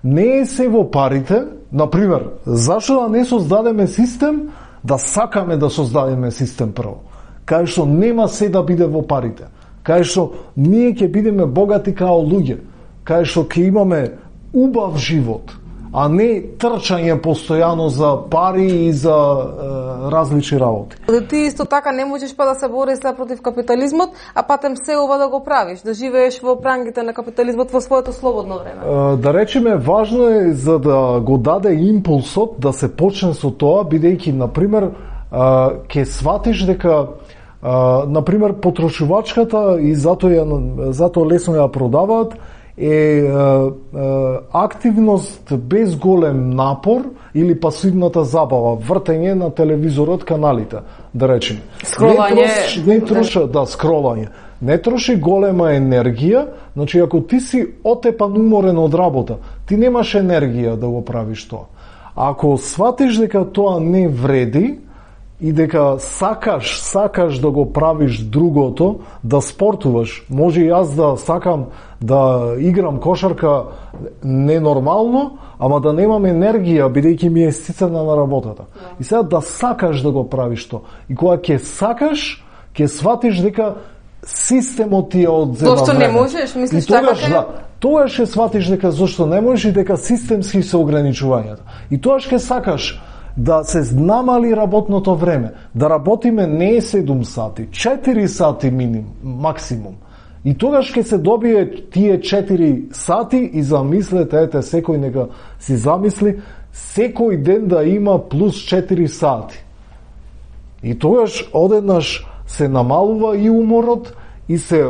не е се во парите, на пример, зашто да не создадеме систем да сакаме да создадеме систем прво. Кај што нема се да биде во парите. Кај што ние ќе бидеме богати као луѓе. Кај што ќе имаме убав живот, а не трчање постојано за пари и за е, различни работи. Ти исто така не можеш па да се бориш против капитализмот, а патем се ова да го правиш, да живееш во прангите на капитализмот во своето слободно време. Е, да речеме, важно е за да го даде импулсот да се почне со тоа, бидејќи, например, ќе сватиш дека на пример потрошувачката и затоа затоа лесно ја продаваат е, е, е активност без голем напор или пасивната забава, вртење на телевизорот, каналите, да речеме. Скролање. Не, трош, не троша, да, скролање. не троши голема енергија, значи ако ти си отепан уморен од работа, ти немаш енергија да го правиш тоа. Ако сватиш дека тоа не вреди и дека сакаш, сакаш да го правиш другото, да спортуваш, може и јас да сакам да играм кошарка ненормално, ама да немам енергија, бидејќи ми е стицана на работата. И сега да сакаш да го правиш тоа. И кога ќе сакаш, ќе сватиш дека системот ти ја одзема зошто време. Не можеш, мислиш и тогаш, така? Да, тогаш ќе сватиш дека зошто не можеш и дека системски се ограничувањата. И тогаш ќе сакаш да се намали работното време, да работиме не седум сати, четири сати минимум, максимум. И тогаш ќе се добие тие четири сати и замислете, ете, секој нека си замисли, секој ден да има плюс четири сати. И тогаш одеднаш се намалува и уморот и се е,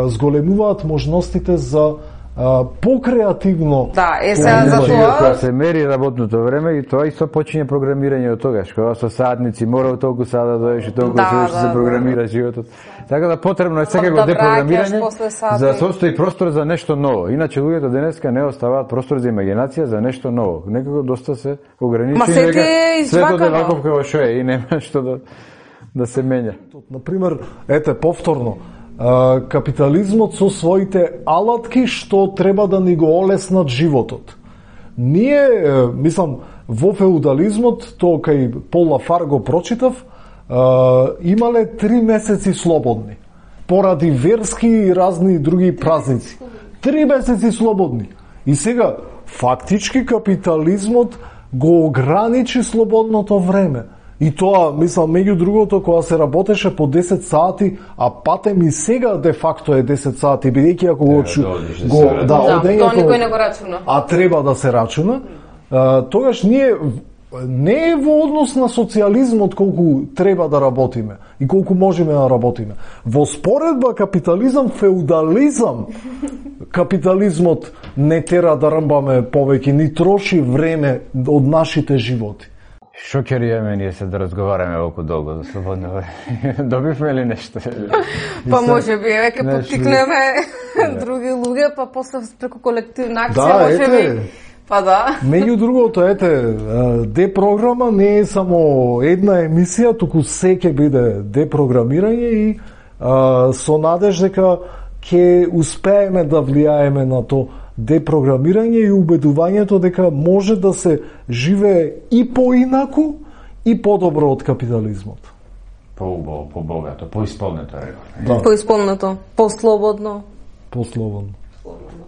зголемуваат можностите за Uh, покреативно. Да, е сега за тоа. Кога се мери работното време и тоа исто почине програмирање од тогаш, кога со садници мора толку сада да доеш и толку да, се да, да, се програмира животот. Така да потребно е секако да депрограмирање за да состои простор за нешто ново. Иначе луѓето денеска не оставаат простор за имагинација за нешто ново. Некако доста се ограничени дека светот е ваков како што е и нема што да да се менја. Например, ете повторно капитализмот со своите алатки што треба да ни го олеснат животот. Ние, мислам, во феудализмот, тоа кај Пол Лафар го прочитав, имале три месеци слободни, поради верски и разни други празници. Три месеци слободни. И сега, фактички капитализмот го ограничи слободното време. И тоа, мислам, меѓу другото, кога се работеше по десет сати, а патем и сега де факто е десет сати, бидејќи ако го чу... го да, да, одењето, тоа никој не го рачуна. А треба да се рачуна, а, тогаш ние не е во однос на социјализмот колку треба да работиме и колку можеме да работиме. Во споредба капитализам, феудализам, капитализмот не тера да рмбаме повеќе, ни троши време од нашите животи. Шокерија ние се да разговараме толку долго за слободно време. Добивме ли нешто? Па може би веќе поттикнеме други луѓе, па после преку колективна акција да, може би. Па да. Меѓу другото, ете, депрограма не е само една емисија, туку се ќе биде депрограмирање и а, со надеж дека ќе успееме да влијаеме на то депрограмирање и убедувањето дека може да се живее и поинаку и подобро од капитализмот. По-убаво, по-богато, поисполнето, реков. Да. Поисполнето, послободно. Послободно. Слободно.